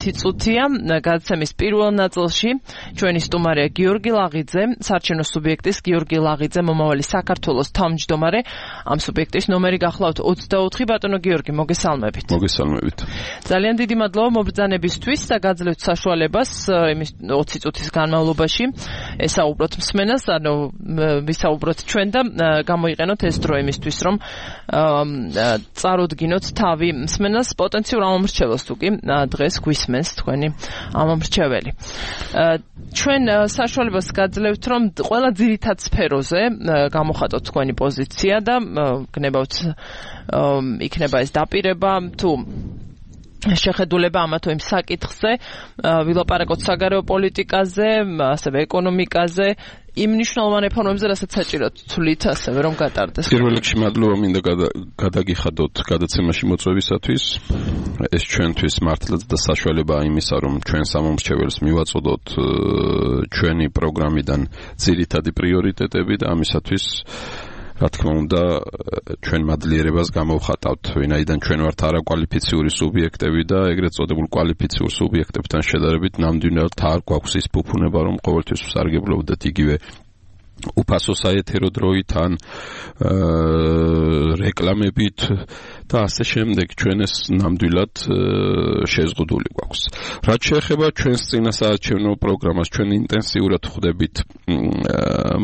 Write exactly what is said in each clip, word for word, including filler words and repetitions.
წუთია გადაცემის პირველ ნაწილში ჩვენი სტუმარია გიორგი ლაღიძე, საარჩევნო სუბიექტის გიორგი ლაღიძე, მომავალი საქართველოს თავმჯდომარე. ამ სუბიექტის ნომერი გახლავთ ოცდაოთხი. ბატონო გიორგი, მოგესალმებით. მოგესალმებით. ძალიან დიდი მადლობა მობრძანებისთვის და გაძლევთ საშუალებას იმის ოცი წუთის განმავლობაში ესაუბროთ მსმენელს, ანუ ვისაუბროთ ჩვენ და გამოიყენოთ ეს დრო იმისთვის, რომ წარუდგინოთ თავი მსმენელს პოტენციურ ამომრჩეველს თუ კი დღეს გვისმენს თქვენი ამომრჩეველი. ჩვენ საშუალებას გაძლევთ, რომ ყველა ძირითად სფეროზე გამოხატოთ თქვენი პოზიცია და გნებავთ იქნება ეს დაპირება თუ შეხედულება ამა თუ იმ საკითხზე, ვილაპარაკოთ საგარეო პოლიტიკაზე, ასევე ეკონომიკაზე, იმ მნიშვნელოვან რეფორმებზე, რასაც საჭიროდ თვლით, ასევე რომ გატარდეს. პირველ რიგში მადლობა მინდა გადაგიხადოთ გადაცემაში მოწვევისათვის. ეს ჩვენთვის მართლაც და საშუალება იმისა, რომ ჩვენ სამომრჩეველს მივაწოდოთ ჩვენი პროგრამიდან ძირითადი პრიორიტეტები და ამისათვის რა თქმა უნდა ჩვენ მადლიერებას გამოვხატავთ, ვინაიდან ჩვენ ვართ არაკვალიფიციური სუბიექტები და ეგრეთ წოდებულ კვალიფიციურ სუბიექტებთან შედარებით ნამდვილად არ გვაქვს ის ფუფუნება, რომ ყოველთვის ვსარგებლობდეთ იგივე უფასო საეთერო დროით ან რეკლამებით და ასე შემდეგ. ჩვენ ეს ნამდვილად შეზღუდული გვაქვს. რაც შეეხება ჩვენს წინასაარჩევნო პროგრამას, ჩვენ ინტენსიურად ხვდებით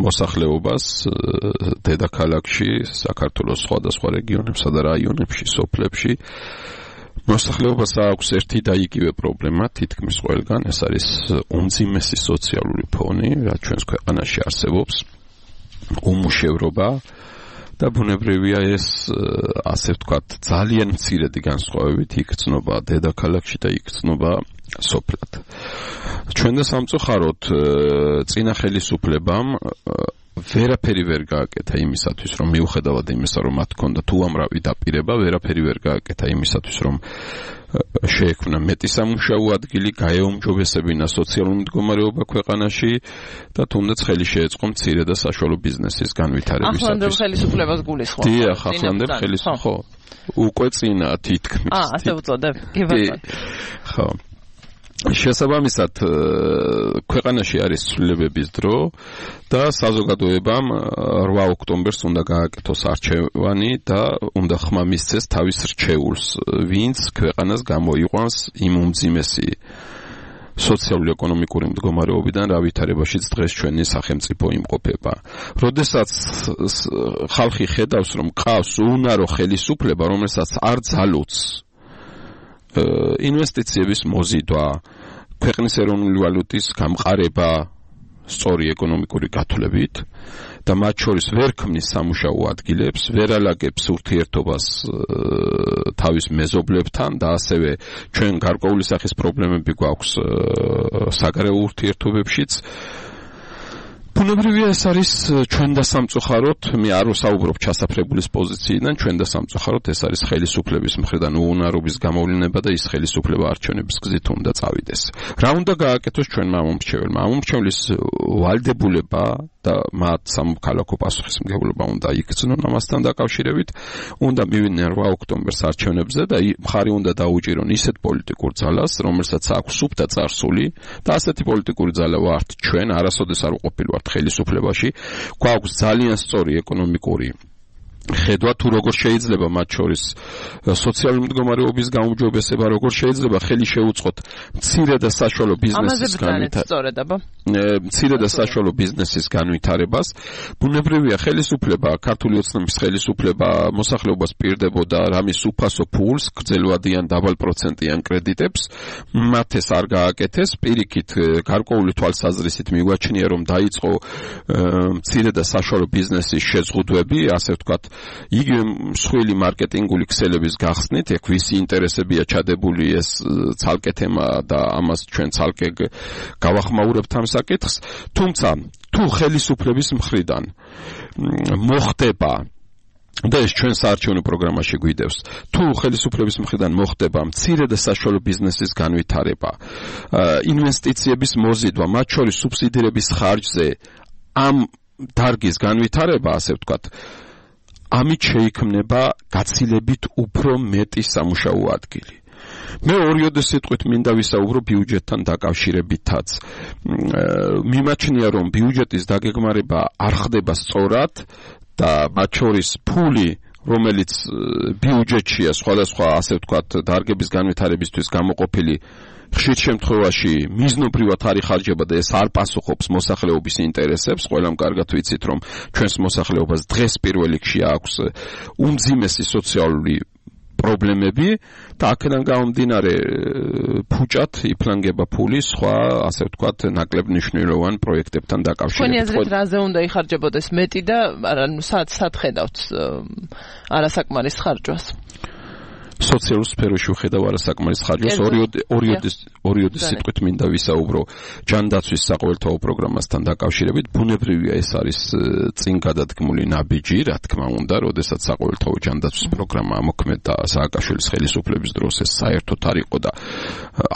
მოსახლეობას დედაქალაქში, საქართველოს სხვადასხვა რეგიონებსა და რაიონებში, სოფლებში. მოსახლეობას აქვს ერთი და იგივე პრობლემა, თითქმის ყველგან, ეს არის უმძიმესი სოციალური ფონი, რაც ჩვენს ქვეყანაში არსებობს, უმუშევრობა და ბუნებრივია ეს, ასე ვთქვათ, ძალიან მცირედი განსხვავებით იქცნობა დედაქალაქში და იქცნობა სოფლად. ჩვენ და სამწუხაროდ წინა ხელისუფლებამ ვერაფერი ვერ გააკეთა იმისათვის, რომ მიუხედავად იმისა, რომ მათ ჰქონდა თუ ამრავი დაპირება, ვერაფერი ვერ გააკეთა იმისათვის, რომ შეექმნა მეტი სამუშაო ადგილი, გაეუმჯობესებინა სოციალური მდგომარეობა ქვეყანაში და თუნდაც ხელი შეეწყო მცირე და საშუალო ბიზნესის განვითარებისათვის. ახლანდელ ხელისუფლებას გულისხმობთ. დიახ, ახლანდელ ხელისუფლებას, ხო. უკვე წინა თითქმის. აა, ასე ვუწოდებ. კი ბატონო. ხო. შესაბამისად ქვეყანაში არის ცვლილებების დრო და საზოგადოებამ რვა ოქტომბერს უნდა გააკეთოს არჩევანი და უნდა ხმა მისცეს თავის რჩეულს, ვინც ქვეყანას გამოიყვანს იმ უმძიმესი სოციალურ-ეკონომიკური მდგომარეობიდან, რა ვითარებაშიც დღეს ჩვენი სახელმწიფო იმყოფება. როდესაც ხალხი ხედავს, რომ ყავს უუნარო ხელისუფლება, რომელსაც არ ძალუძს ინვესტიციების მოზიდვა, ქვეყნის ეროვნული ვალუტის გამყარება სწორი ეკონომიკური გათვლებით და მათ შორის ვერ ქმნის სამუშაო ადგილებს, ვერ ალაგებს ურთიერთობას თავის მეზობლებთან და ასევე ჩვენ გარკვეული სახის პრობლემები გვაქვს საგარეო ურთიერთობებშიც. ბუნებრივია ეს არის ჩვენ და სამწუხაროდ, მე არ ვსაუბრობ ჩასაფრებულის პოზიციიდან, ჩვენ და სამწუხაროდ ეს არის ხელისუფლების მხრიდან უუნარობის გამოვლინება და ის ხელისუფლება არჩევნების გზით უნდა წავიდეს. რა უნდა გააკეთოს ჩვენმა ამომრჩეველმა? ამომრჩევლის ვალდებულება და მათ სამოქალაქო პასუხისმგებლობა უნდა იქცნონ ამასთან დაკავშირებით, უნდა მივიდნენ რვა ოქტომბერს არჩევნებზე და მხარი უნდა დაუჭირონ ისეთ პოლიტიკურ ძალას, რომელსაც აქვს სუფთა წარსული და ასეთი პოლიტიკური ძალა ვართ ჩვენ, არასოდეს არ ვყოფილვართ ხელისუფლებაში, გვაქვს ძალიან სწორი ეკონომიკური ხედვა თუ როგორ შეიძლება მათ შორის სოციალური მდგომარეობის გაუმჯობესება, როგორ შეიძლება ხელი შეუწყოთ მცირე და საშუალო ბიზნესის განვითარებას. მცირე და საშუალო ბიზნესის განვითარებას. ბუნებრივია ხელისუფლება, ქართული ოცნების ხელისუფლება მოსახლეობას პირდებოდა რამის უფასო ფულს, გრძელვადიან დაბალპროცენტიან კრედიტებს, მათ ეს არ გააკეთეს, პირიქით გარკვეული თვალსაზრისით მიგვაჩნია, რომ დაიწყო მცირე და საშუალო ბიზნესის შეზღუდვები, ასე ვთქვათ, იგივე მსხვილი მარკეტინგული ქსელების გახსნით, ეგ ვისი ინტერესებია ჩადებული ეს ცალკე თემა და ამას ჩვენ ცალკე გავახმაურებთ ამ საკითხს, თუმცა თუ ხელისუფლების მხრიდან მოხდება და ეს ჩვენ საარჩევნო პროგრამაში გვიდევს, თუ ხელისუფლების მხრიდან მოხდება მცირე და საშუალო ბიზნესის განვითარება, ინვესტიციების მოზიდვა, მათ შორის სუბსიდირების ხარჯზე ამ დარგის განვითარება, ასე ვთქვათ, ამით შეიქმნება გაცილებით უფრო მეტი სამუშაო ადგილი. მე ორიოდე სიტყვით მინდა ვისაუბრო ბიუჯეტთან დაკავშირებითაც. მიმაჩნია, რომ ბიუჯეტის დაგეგმარება არ ხდება სწორად და მათ შორის ფული, რომელიც ბიუჯეტშია სხვადასხვა, ასე ვთქვათ, დარგების განვითარებისთვის გამოყოფილი, ხშირ შემთხვევაში მიზნობრივად არ იხარჯება და ეს არ პასუხობს მოსახლეობის ინტერესებს. ყველამ კარგად ვიცით, რომ ჩვენს მოსახლეობას დღეს პირველ რიგში აქვს უმძიმესი სოციალური პრობლემები და აქედან გამომდინარე ფუჭად იფლანგება ფული სხვა, ასე ვთქვათ, ნაკლებ მნიშვნელოვან პროექტებთან დაკავშირებით. თქვენი აზრით რაზე უნდა იხარჯებოდეს მეტი და ანუ სად სად ხედავთ არასაკმარის ხარჯვას? სოციალურ სფეროში ვხედავ არასაკმარის ხარჯვას. ორიოდე სიტყვით მინდა ვისაუბრო ჯანდაცვის საყოველთაო პროგრამასთან დაკავშირებით. ბუნებრივია ეს არის წინ გადადგმული ნაბიჯი, რა თქმა უნდა, როდესაც საყოველთაო ჯანდაცვის პროგრამა ამოქმედა სააკაშვილის ხელისუფლების დროს, ეს საერთოდ არ იყო და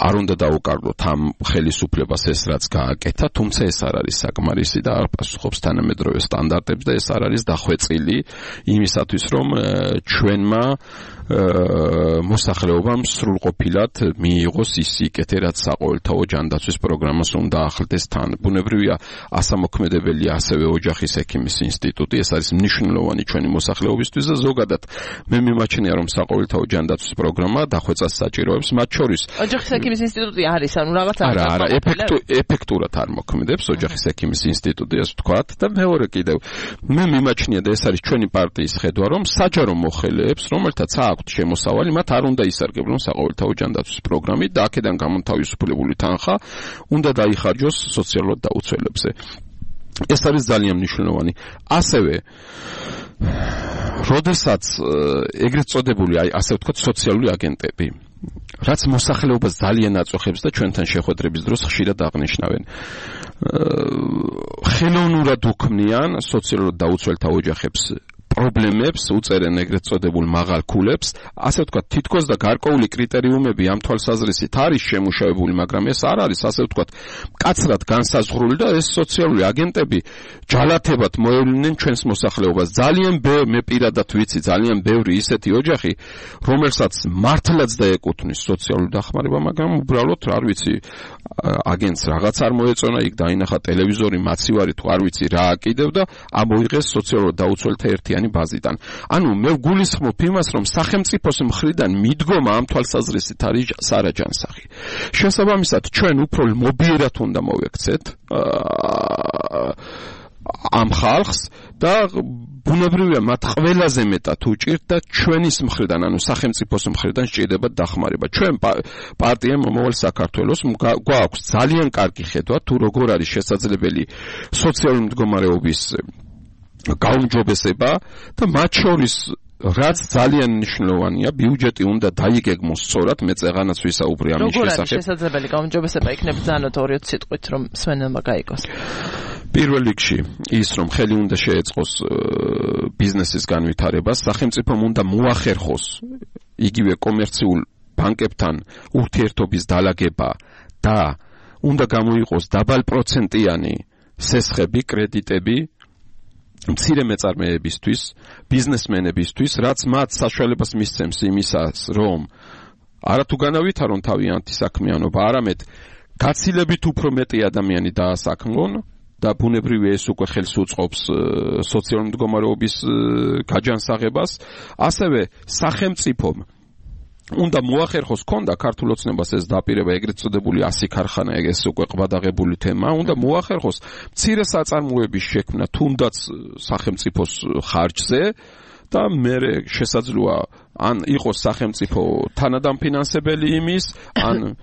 არ უნდა დაუკარგლოთ ამ ხელისუფლებას ეს რაც გააკეთა, თუმცა ეს არ არის საკმარისი და არ პასუხობს თანამედროვე სტანდარტებს და ეს არ არის დახვეწილი იმისათვის, რომ ჩვენმა მოსახლეობამ სრულყოფილად მიიღოს ის სიკეთე, რაც საყოველთაო ჯანდაცვის პროგრამას უნდა ახლდეს თან. ბუნებრივია, ასამოქმედებელია ასევე ოჯახის ექიმის ინსტიტუტი, ეს არის მნიშვნელოვანი ჩვენი მოსახლეობისთვის და ზოგადად მე მიმაჩნია, რომ საყოველთაო ჯანდაცვის პროგრამა დახვეწას საჭიროებს, მათ შორის ოჯახის ექიმის ინსტიტუტი არის, ანუ რაღაც არა, არა, ეფექტურად არ მოქმედებს ოჯახის ექიმის ინსტიტუტი, ასე ვთქვათ და მეორე კიდევ მე მიმაჩნია და ეს არის ჩვენი პარტიის ხედვა, რომ საჯარო მოხელეებს, რომელთაც აქვთ შემოსავალი, მათ არ უნდა ისარგებლონ საყოველთაო ჯანდაცვის პროგრამით და აქედან გამონთავისუფლებული თანხა უნდა დაიხარჯოს სოციალურ დაუცველებზე. ეს არის ძალიან მნიშვნელოვანი. ასევე როდესაც ეგრეთ წოდებული, აი ასე ვთქვათ, სოციალური აგენტები, რაც მოსახლეობას ძალიან აწუხებს და ჩვენთან შეხვედრების დროს ხშირად აღნიშნავენ, ხელოვნურად უქმნიან სოციალურ დაუცველთა ოჯახებს პრობლემებს, უწერენ ეგრეთ წოდებულ მაღალ ქულებს, ასე ვთქვათ, თითქოს და გარკვეული კრიტერიუმები ამ თვალსაზრისით არის შემუშავებული, მაგრამ ეს არ არის, ასე ვთქვათ, მკაცრად განსაზღვრული და ეს სოციალური აგენტები ჯალათებად მოევლინენ ჩვენს მოსახლეობას. ძალიან მე პირადად ვიცი, ძალიან ბევრი ისეთი ოჯახი, რომელსაც მართლაც დაეკუთვნის სოციალური დახმარება, მაგრამ უბრალოდ არ ვიცი, აგენტს რაღაც არ მოეწონა, იქ დაინახა ტელევიზორი, მაცივარი თუ არ ვიცი რა აკიდევ და ამოიღეს სოციალურ დაუცველთა ერთიანი ბაზიდან. ანუ მე ვგულისხმობ იმას, რომ სახელმწიფოს მხრიდან მიდგომა ამ თვალსაზრისით არის სარაჯანსაღი. შესაბამისად, ჩვენ უფრო მობიერად უნდა მოვექცეთ ამ ხალხს და ბუნებრივია მათ ყველაზე მეტად უჭირთ და ჩვენის მხრიდან, ანუ სახელმწიფოს მხრიდან სჭირდება დახმარება. ჩვენ პარტია მომავალ საქართველოს გვაქვს ძალიან კარგი ხედვა თუ როგორ არის შესაძლებელი სოციალური მდგომარეობის გაუმჯობესება და მათ შორის რაც ძალიან მნიშვნელოვანია, ბიუჯეტი უნდა დაიგეგმოს სწორად, მე წეღანაც ვისაუბრე ამის შესახებ. როგორ არის შესაძლებელი გაუმჯობესება, იქნებ ძანოთ ორიოდ სიტყვით, რომ სვენელმა გაიგოს. პირველ რიგში ის, რომ ხელი უნდა შეეწყოს ბიზნესის განვითარებას, სახელმწიფომ უნდა მოახერხოს იგივე კომერციულ ბანკებთან ურთიერთობის დალაგება და უნდა გამოიყოს დაბალპროცენტიანი სესხები, კრედიტები მცირე მეწარმეებისთვის, ბიზნესმენებისთვის, რაც მათ საშუალებას მისცემს იმისას, რომ არათუ განავითარონ თავიანთი საქმიანობა, არამედ გაცილებით უფრო მეტი ადამიანი დაასაქმნონ და ბუნებრივია ეს უკვე ხელს უწყობს სოციალური მდგომარეობის გაჯანსაღებას, ასევე სახელმწიფომ უნდა მოახერხოს, ქონდა ქართულ ოცნებას ეს დაპირება, ეგრეთ წოდებული ასი ქარხანა, ეს უკვე ყბადაღებული თემა, უნდა მოახერხოს მცირე საწარმოების შექმნა, თუნდაც სახელმწიფოს ხარჯზე და მე შესაძლოა ან იყოს სახელმწიფო თანადამფინანსებელი იმის, ან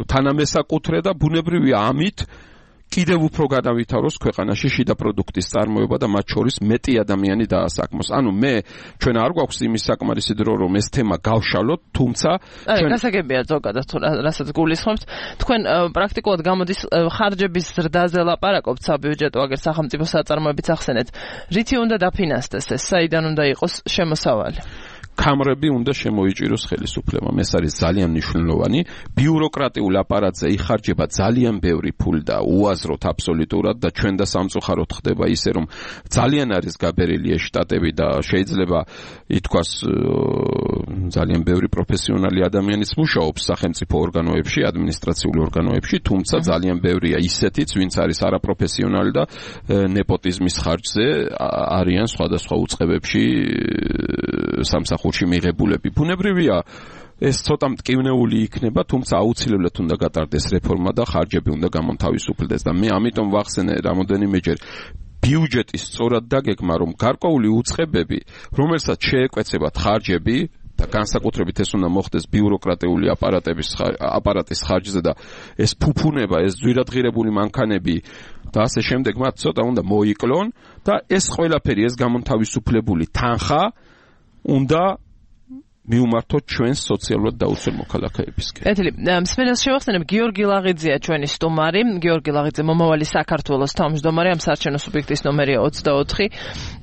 თანამესაკუთრე და ბუნებრივია ამით კიდევ უფრო განავითაროს ქვეყანაში შიდა პროდუქტის წარმოება და მათ შორის მეტი ადამიანი დაასაქმოს. ანუ მე ჩვენ არ გვაქვს იმის საკმარისი დრო, რომ ეს თემა გავშალოთ, თუმცა ჩვენ გასაგებია ზოგადად რასაც გულისხმობთ, თქვენ პრაქტიკულად გამოდის ხარჯების ზრდაზე ლაპარაკობთ საბიუჯეტო აგერ სახელმწიფო საწარმოებიც ახსენეთ. რითი უნდა დაფინანსდეს ეს, საიდან უნდა იყოს შემოსავალი? კამრები უნდა შემოიჭიროს ხელისუფლებამ. ეს არის ძალიან მნიშვნელოვანი. ბიუროკრატიულ აპარატზე იხარჯება ძალიან ბევრი ფული და უაზროდ აბსოლუტურად და ჩვენ და სამწუხაროდ ხდება ისე რომ ძალიან არის გაბერილი ეს შტატები და შეიძლება ითქვას ძალიან ბევრი პროფესიონალი ადამიანიც მუშაობს სახელმწიფო ორგანოებში, ადმინისტრაციულ ორგანოებში, თუმცა ძალიან ბევრია ისეთიც, ვინც არის არაპროფესიონალი და ნეპოტიზმის ხარჯზე არიან სხვადასხვა უწყებებში სამსახურში მიღებულები. ბუნებრივია ეს ცოტა მტკივნეული იქნება, თუმცა აუცილებლად უნდა გატარდეს რეფორმა და ხარჯები უნდა გამონთავისუფლდეს და მე ამიტომ ვახსენე რამოდენიმეჯერ ბიუჯეტის სწორად დაგეგმა, რომ გარკვეული უწყებები, რომელსაც შეეკვეცებათ ხარჯები და განსაკუთრებით ეს უნდა მოხდეს ბიუროკრატიული აპარატების აპარატის ხარჯზე და ეს ფუფუნება, ეს ძვირადღირებული მანქანები და ასე შემდეგ მათ ცოტა უნდა მოიკლონ და ეს ყველაფერი ეს გამონთავისუფლებული თანხა უნდა მიუმართოთ ჩვენს სოციალურად დაუცველ მოქალაქეებისკენ. ეთილი, მსმენელს შევახსენებ, გიორგი ლაღიძეა ჩვენი სტუმარი, გიორგი ლაღიძე მომავალი საქართველოს თავმჯდომარე, ამ საარჩევნო სუბიექტის ნომერია ოცდაოთხი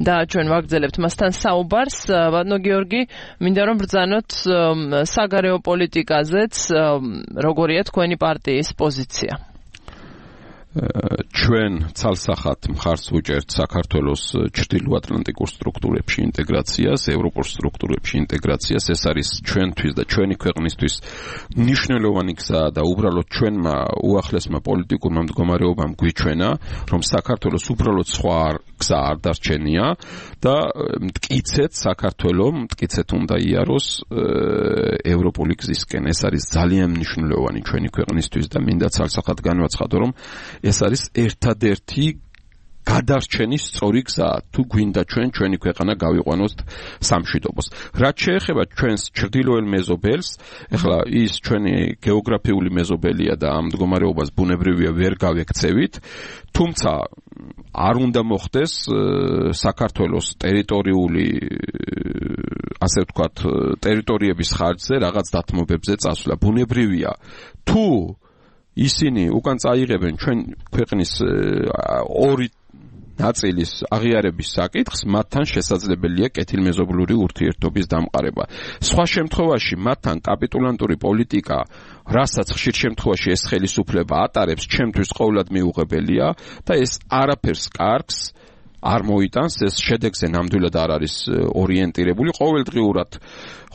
და ჩვენ ვაგრძელებთ მასთან საუბარს. ბატონო გიორგი, მინდა რომ ბრძანოთ საგარეო პოლიტიკაზეც, როგორია თქვენი პარტიის პოზიცია? ჩვენ ცალსახად მხარს ვუჭერთ საქართველოს ჩრდილოატლანტიკურ სტრუქტურებში ინტეგრაციას, ევროპულ სტრუქტურებში ინტეგრაციას. ეს არის ჩვენთვის და ჩვენი ქვეყნისთვის მნიშვნელოვანი გზა და უბრალოდ ჩვენმა უახლესმა პოლიტიკურმა მდგომარეობამ გვიჩვენა, რომ საქართველოს უბრალოდ სხვა გზა არ დარჩენია და მტკიცეთ საქართველოს, მტკიცეთ უნდა იაროს ევროპული გზისკენ. ეს არის ძალიან მნიშვნელოვანი ჩვენი ქვეყნისთვის და მინდა ცალსახად განვაცხადო, რომ ეს არის ერთადერთი გადარჩენის სწორი გზა, თუ გვინდა ჩვენ ჩვენი ქვეყანა გავიყვანოთ სამშვიდობოს. რაც შეეხება ჩვენს ჩრდილოელ მეზობელს, ეხლა ის ჩვენი გეოგრაფიული მეზობელია და ამ მდგომარეობას ბუნებრივია ვერ გავექცევით, თუმცა არ უნდა მოხდეს საქართველოს ტერიტორიული ასე ვთქვათ ტერიტორიების ხარჯზე რაღაც დათმობებზე წასვლა. ბუნებრივია, თუ ისინი უკან წაიღებენ ჩვენ ქვეყნის ორი ნაწილის აღიარების საკითხს, მათთან შესაძლებელია კეთილმეზობლური ურთიერთობის დამყარება. სხვა შემთხვევაში მათთან კაპიტულანტური პოლიტიკა, რასაც ხშირ შემთხვევაში ეს ხელისუფლება ატარებს, ჩემთვის ყოველად მიუღებელია და ეს არაფერს კარგს არ მოიტანს, ეს შედეგზე ნამდვილად არ არის ორიენტირებული. ყოველდღიურად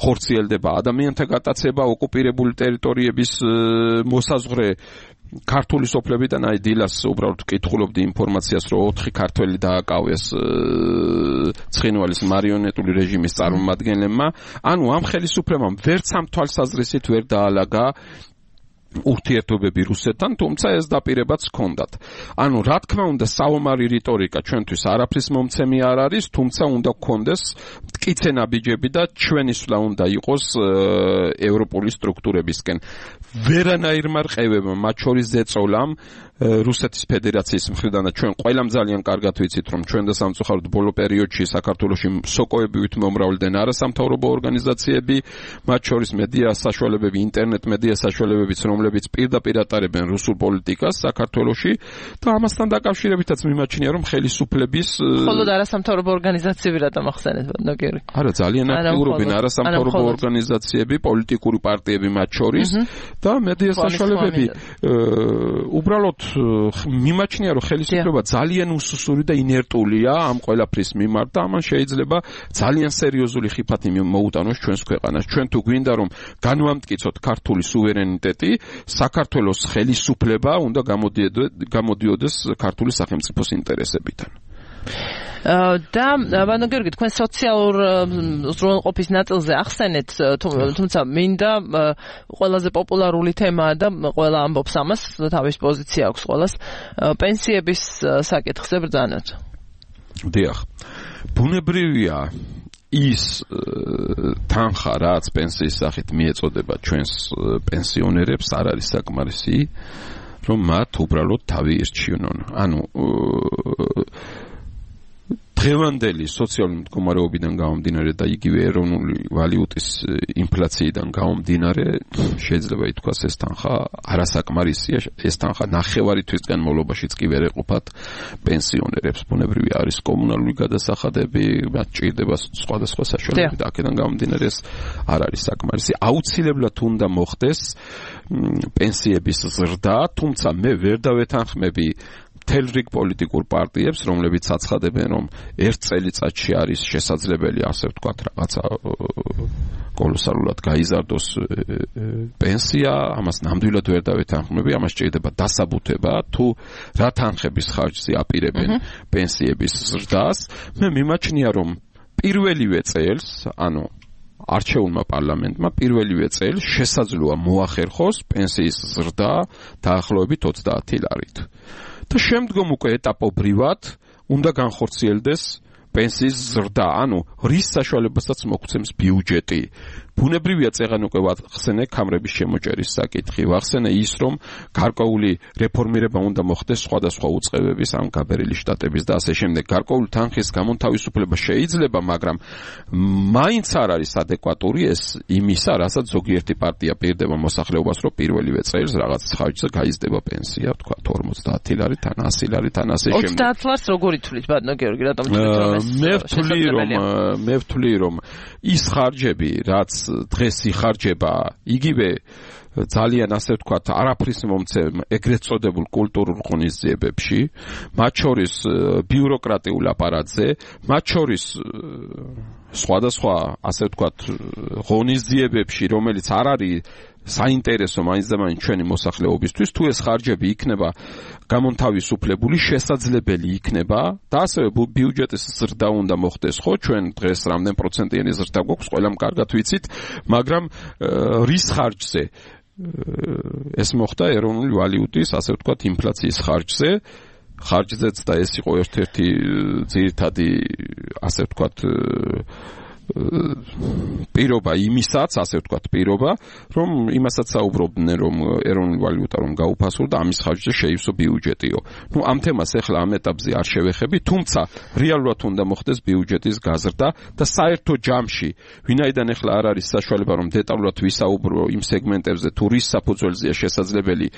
ხორციელდება ადამიანთა გატაცება, ოკუპირებული ტერიტორიების მოსაზღვრე ქართული სოფლებიდან. აი დილას უბრალოდ ვკითხულობდი ინფორმაციას, რომ ოთხი ქართველი დააკავეს ცხინვალის მარიონეტული რეჟიმის წარმომადგენლებმა. ანუ ამ ხელისუფლებამ ვერც ამ თვალსაზრისით ვერ დაალაგა ურთიერთობები რუსეთთან, თუმცა ეს დაპირებაც ჰქონდათ. ანუ რა თქმა უნდა საომარი რიტორიკა ჩვენთვის არაფრის მომცემი არ არის, თუმცა უნდა გქონდეს მტკიცე ნაბიჯები და ჩვენი სვლა უნდა იყოს ევროპული სტრუქტურებისკენ. ვერანაირმა რყევებმა, მათ შორის ზეწოლამ რუსეთის ფედერაციის მხრიდან და ჩვენ ყველამ ძალიან კარგად ვიცით, რომ ჩვენ და სამწუხაროდ ბოლო პერიოდში საქართველოში სოკოებით მომრავლდნენ არასამთავრობო ორგანიზაციები, მათ შორის მედია საშუალებები, ინტერნეტ მედია საშუალებებიც, რომლებიც პირდაპირ ატარებენ რუსულ პოლიტიკას საქართველოში და ამასთან დაკავშირებითაც მიმაჩნია, რომ ხელისუფლების მხოლოდ არასამთავრობო ორგანიზაციები რატომ ახსენეთ, ბატონო გიორგი? არა, ძალიან აქტიურობენ არასამთავრობო ორგანიზაციები, პოლიტიკური პარტიები მათ შორის და მედია საშუალებები. უბრალოდ მიმაჩნია, რომ ხელისუფლება ძალიან უსუსური და ინერტულია ამ ყველაფრის მიმართ და ამან შეიძლება ძალიან სერიოზული ხიფათი მოუტანოს ჩვენს ქვეყანას. ჩვენ თუ გვინდა რომ განვამტკიცოთ ქართული სუვერენიტეტი, საქართველოს ხელისუფლება უნდა გამოდიოდეს ქართული სახელმწიფოს ინტერესებიდან. და ბატონო გიორგი, თქვენ სოციალურ უზრუნველყოფის ნაწილზე ახსენეთ, თუმცა მინდა ყველაზე პოპულარული თემაა და ყველა ამბობს ამას, თავის პოზიცია აქვს ყველას, პენსიების საკითხზე ბრძანოთ. დიახ. ბუნებრივია ის თანხა, რაც პენსიის სახით მიეწოდება ჩვენს პენსიონერებს, არ არის საკმარისი, რომ მათ უბრალოდ თავი ირჩივნონ. ანუ დღევანდელი სოციალური მდგომარეობიდან გამომდინარე და იგივე ეროვნული ვალუტის ინფლაციიდან გამომდინარე შეიძლება ითქვას ეს თანხა არასაკმარისია, ეს თანხა ნახევარი თვის განმავლობაშიც კი ვერ ეყოფათ პენსიონერებს, ბუნებრივი არის კომუნალური გადასახადები, მათ ჭირდება სხვადასხვა საშუალებები და აქედან გამომდინარე ეს არ არის საკმარისი. აუცილებლად უნდა მოხდეს პენსიების ზრდა, თუმცა მე ვერ დავეთანხმები მთელ რიგ პოლიტიკურ პარტიებს, რომლებიც აცხადებენ, რომ ერთ წელიწადში არის შესაძლებელი, ასე ვთქვათ, რაღაცა კოლოსალურად გაიზარდოს პენსია, ამას ნამდვილად ვერ დავეთანხმები, ამას ჭირდება დასაბუთება, თუ რა თანხების ხარჯზე აპირებენ პენსიების ზრდას. მე მიმაჩნია, რომ პირველივე წელს, ანუ არჩეულმა პარლამენტმა პირველივე წელს შესაძლოა მოახერხოს პენსიის ზრდა დაახლოებით ოცდაათი ლარით. და შემდგომ უკვე ეტაპობრივად უნდა განხორციელდეს პენსიის ზრდა, ანუ რის საშუალებასაც მოგვცემს ბიუჯეტი. ბუნებრივია წეღან უკვე ვახსენე კამრების შემოჭერის საკითხი, ვახსენე ის, რომ გარკვეული რეფორმირება უნდა მოხდეს სხვადასხვა უწყებების, ამ გაბერილი შტატების და ასე შემდეგ. გარკვეული თანხის გამონთავისუფლება შეიძლება, მაგრამ მაინც არ არის ადეკვატური ეს იმისა, რასაც ზოგიერთი პარტია პირდება მოსახლეობას, რომ პირველივე წელს რაღაც ხარჯზე გაიზრდება პენსია, თქვა ორმოცდაათი ლარით, ან ასი ლარით, ან ასე შემდეგ. ოცდაათ ლარს როგორ ითვლით, ბატონო გიორგი, რატომ ითვლით, რომ ეს მე ვთვლი, რომ მე ვთვლი, რომ ის ხარჯები, რაც დღეს იხარჯება იგივე ძალიან ასე ვთქვათ არაფრის მომცემ ეგრეთ წოდებულ კულტურულ ღონისძიებებში, მათ შორის ბიუროკრატიულ აპარატზე, მათ შორის სხვადასხვა ასე ვთქვათ ღონისძიებებში, რომელიც არ არის საინტერესო მაინც და მაინც ჩვენი მოსახლეობისთვის, თუ ეს ხარჯები იქნება გამონთავისუფლებული, შესაძლებელი იქნება და ასევე ბიუჯეტის ზრდა უნდა მოხდეს, ხო, ჩვენ დღეს რამდენ პროცენტიანი ზრდა გვაქვს, ყველამ კარგად ვიცით, მაგრამ რის ხარჯზე ეს მოხდა ეროვნული ვალუტის, ასე ვთქვათ, ინფლაციის ხარჯზე, ხარჯზეც და ეს იყო ერთ-ერთი ძირითადი, ასე ვთქვათ, პირობა იმისაც, ასე ვთქვათ, პირობა, რომ იმასაც საუბრობდნენ, რომ ეროვნული ვალუტა რომ გაუფასურდა, ამის ხარჯზე შეივსო ბიუჯეტიო. ნუ ამ თემას ახლა ამ ეტაპზე არ შევეხები, თუმცა რეალურად უნდა მოხდეს ბიუჯეტის გაზრდა და საერთო ჯამში, ვინაიდან ახლა არ არის საშუალება, რომ დეტალურად ვისაუბრო იმ სეგმენტებზე, თუ რის საფუძველზეა შესაძლებელი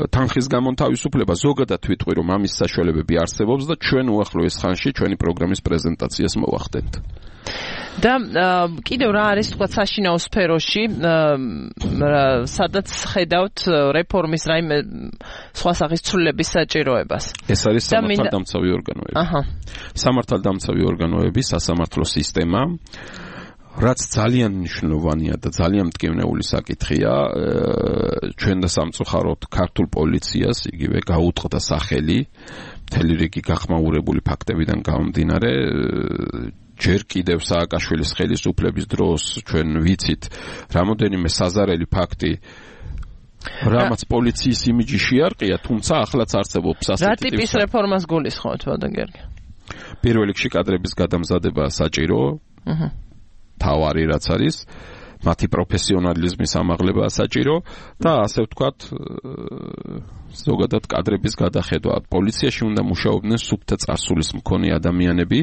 თანხის გამონთავისუფლება, ზოგადად ვიტყვი, რომ ამის საშუალებები არსებობს და ჩვენ უახლოეს ხანში ჩვენი პროგრამის პრეზენტაციას მოვახდენთ. და კიდევ რა არის თქვა საშინაო სფეროში, სადაც ხედავთ რეფორმის რაიმე სხვა სახის ცვლილების საჭიროებას. ეს არის სამართალდამცავი ორგანოები. აჰა. სამართალდამცავი ორგანოები, სასამართლო სისტემა, რაც ძალიან მნიშვნელოვანია და ძალიან მტკივნეული საკითხია, ჩვენ და სამწუხაროდ ქართულ პოლიციას იგივე გაუტყდა სახელი მთელი რიგი გახმაურებული ფაქტებიდან გამომდინარე. ჯერ კიდევ სააკაშვილის ხელისუფლების დროს ჩვენ ვიცით რამოდენიმე საზარელი ფაქტი, რამაც პოლიციის იმიჯი შეარყია, თუმცა ახლაც არსებობს ასეთი რა ტიპის რეფორმას გულისხმობთ, ბატონ გიორგი? პირველ რიგში კადრების გადამზადება საჭირო, აჰა, თავარი რაც არის, მათი პროფესიონალიზმის ამაღლება საჭირო და ასე ვთქვათ, ზოგადად კადრების გადახედვა. პოლიციაში უნდა მუშაობდნენ სუფთა წარსულის მქონე ადამიანები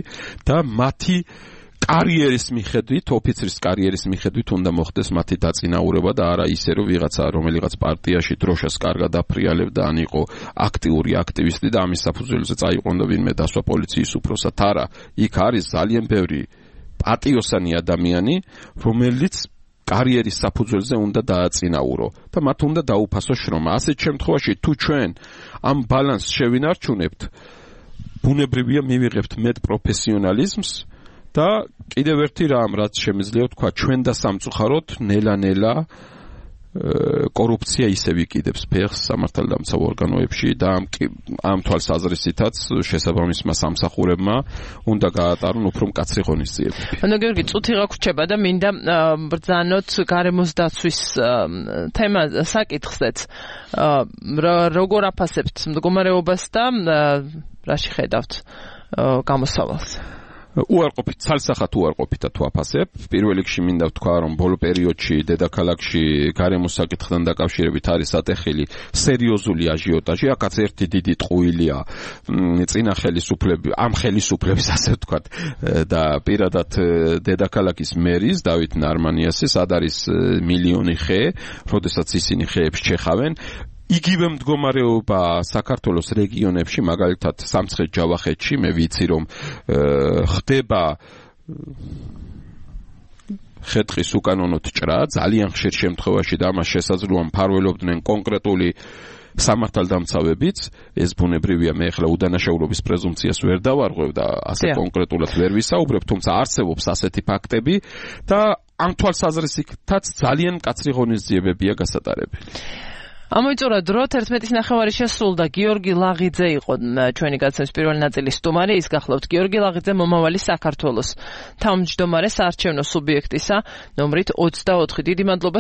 და მათი კარიერის მიხედვით, ოფიცრის კარიერის მიხედვით უნდა მოხდეს მათი დაწინაურება და არა ისე, რომ ვიღაცა რომელიღაც პარტიაში დროშას კარგად აფრიალებდა, ან იყო აქტიური აქტივისტი და ამის საფუძველზე წაიყვანდა ვინმე დასვა პოლიციის უფროსად. არა, იქ არის ძალიან ბევრი პატიოსანი ადამიანი, რომელიც კარიერის საფუძველზე უნდა დააწინაურო და მათ უნდა დაუფასო შრომა. ასეთ შემთხვევაში თუ ჩვენ ამ ბალანსს შევინარჩუნებთ, ბუნებრივია მივიღებთ მეტ პროფესიონალიზმს და კიდევ ერთი რამ, რაც შემიძლია თქვა, ჩვენ და სამწუხაროდ ნელა-ნელა კორუფცია ისევ იკიდებს ფეხს სამართალდამცავ ორგანოებში და ამ ამ თვალსაზრისითაც შესაბამისმა სამსახურებმა უნდა გაატარონ უფრო მკაცრი ღონისძიებები. ანუ გიორგი, წუთი გაგვრჩება და მინდა ბრძანოთ გარემოს დაცვის თემა საკითხზეც. როგორ აფასებთ მდგომარეობას და რაში ხედავთ გამოსავალს? უარყოფით, ცალსახად უარყოფითად ვაფასებ. პირველ რიგში მინდა ვთქვა, რომ ბოლო პერიოდში დედაქალაქში გარემოს საკითხთან დაკავშირებით არის ატეხილი სერიოზული აჟიოტაჟი. აქაც ერთი დიდი ტყუილია წინა ხელისუფლების, ამ ხელისუფლების ასე ვთქვათ და პირადად დედაქალაქის მერის დავით ნარმანიასის სად არის მილიონი ხე, როდესაც ისინი ხეებს ჩეხავენ. იგივე მდგომარეობა საქართველოს რეგიონებში, მაგალითად სამცხე-ჯავახეთში, მე ვიცი რომ ხდება ხეთხის უკანონოდ ჭრა, ძალიან ხშირ შემთხვევაში და ამას შესაძლოა მფარველობდნენ კონკრეტული სამართალდამცავებიც, ეს ბუნებრივია, მე ახლა უდანაშაულობის პრეზუმპციას ვერ დავარღვევ და ასე კონკრეტულად ვერ ვისაუბრებ, თუმცა არსებობს ასეთი ფაქტები და ამ თვალსაზრისითაც ძალიან მკაცრი ღონისძიებებია გასატარებელი. ამოიწურა დრო თერთმეტის ნახევარი შესრულდა. გიორგი ლაღიძე იყო ჩვენი გადაცემის პირველი ნაწილის სტუმარი. ის გახლავთ გიორგი ლაღიძე, მომავალი საქართველოს თავმჯდომარე საარჩევნო სუბიექტისა ნომრით ოცდაოთხი. დიდი მადლობა.